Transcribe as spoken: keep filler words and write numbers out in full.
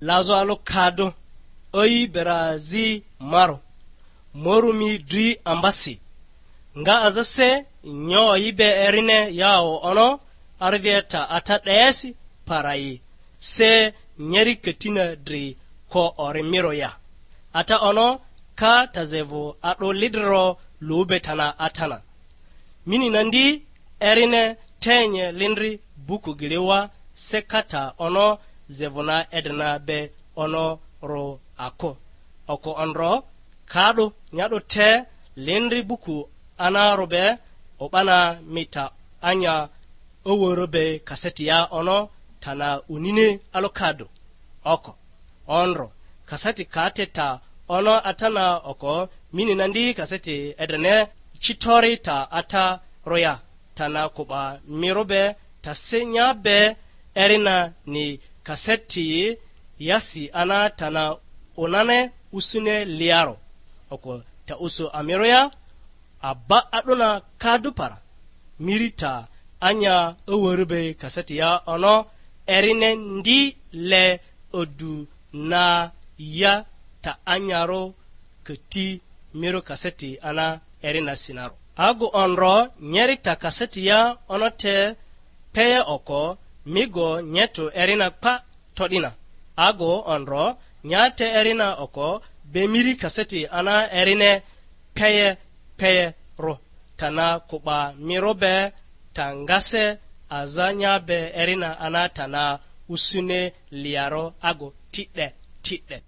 Lazᴜ alᴜ kadᴜ, ai berazi maru, morumi dri ambasi, nga aza se nyo yi be erine yao ono arivie ta ata 'desi parayi, se nyeri katina dri ko ori miro ya. Ata ono ka tazevᴜ a'dᴜ lidriro lu be tana atana. Mini na ndi erine tenye lindri buku giliwa se kata ono zevuna edrina be ono ro ako. Oko ondro ka'du nya'du te lindri buku anarube o'bana mita anya oworo be kasetia ono tana unini alokado. Oko ondro kaseti ka te ta ono atana oko mini na ndi kaseti edrene citori ta ata roya tana kuba miru be ta se nya be erina ni kaseti yasi ana tana unane usune liaro. Oko ta usu amiroya aba a'duna kadu para miri ta anya owori be kaseti ya ono erine ndi le odu na ya ta anyaro kati miro kaseti ana erina sinaro. Agu ondro nyeri ta kaseti ya ono te peye oko migo nyetu erina kpa to'dina. Agu ondro nyate erina oko be miri kaseti ana erine peye peye ro tana kuba miro be ta ngase aza nya be erina ana tana usune liaro agu ti'de ti'de.